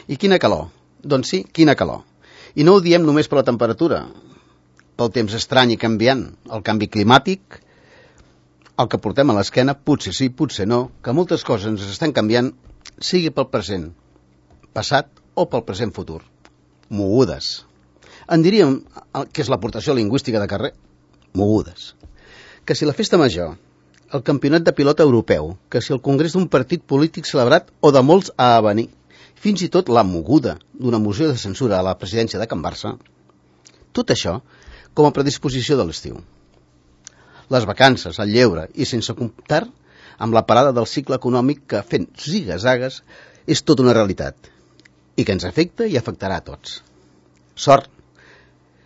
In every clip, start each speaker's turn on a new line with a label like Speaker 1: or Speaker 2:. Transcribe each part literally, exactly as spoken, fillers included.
Speaker 1: I quina calor? Doncs sí, quina calor. I no ho diem només per la temperatura, pel temps estrany i canviant, el canvi climàtic, el que portem a l'esquena, potser sí, potser no, que moltes coses ens estan canviant, sigui pel present, passat o pel present futur. Mogudes. En diríem que és l'aportació lingüística de carrer. Mogudes. Que si la festa major, el campionat de pilota europeu, que si el congrés d'un partit polític celebrat o de molts a venir, fins i tot la moguda d'una moció de censura a la presidència de Can Barça, tot això com a predisposició de l'estiu. Les vacances, el lleure i sense comptar amb la parada del cicle econòmic que fent ziga-zagues és tota una realitat i que ens afecta i afectarà a tots. Sort.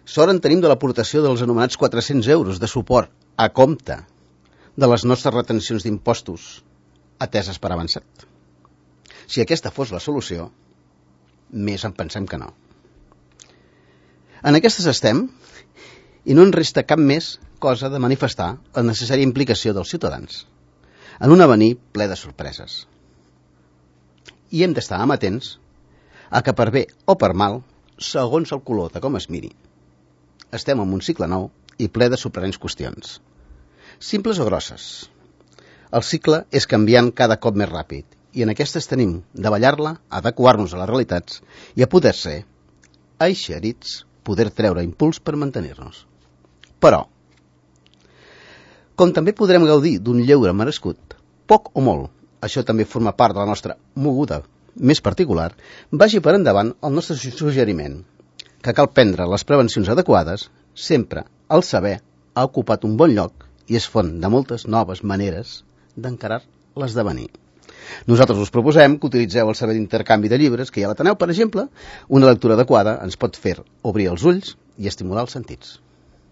Speaker 1: Sort en tenim de l'aportació dels anomenats quatre-cents euros de suport a compte de les nostres retencions d'impostos ateses per avançat. Si aquesta fos la solució, més en pensem que no. En aquestes estem i no en resta cap més cosa de manifestar la necessària implicació dels ciutadans en un avenir ple de sorpreses. I hem d'estar amatents a que per bé o per mal, segons el color de com es miri, estem en un cicle nou i ple de sorprenents qüestions. Simples o grosses. El cicle és canviant cada cop més ràpid i en aquestes tenim de ballar-la, adequar-nos a les realitats i a poder ser, eixerits, poder treure impuls per mantenir-nos. Però, com també podrem gaudir d'un lleure merescut, poc o molt, això també forma part de la nostra moguda més particular, vagi per endavant el nostre suggeriment, que cal prendre les prevencions adequades, sempre el saber ha ocupat un bon lloc i és font de moltes noves maneres d'encarar l'esdevenir. Nosaltres us proposem que utilitzeu el servei d'intercanvi de llibres que hi ha a l'Ateneu, per exemple. Una lectura adequada ens pot fer obrir els ulls i estimular els sentits.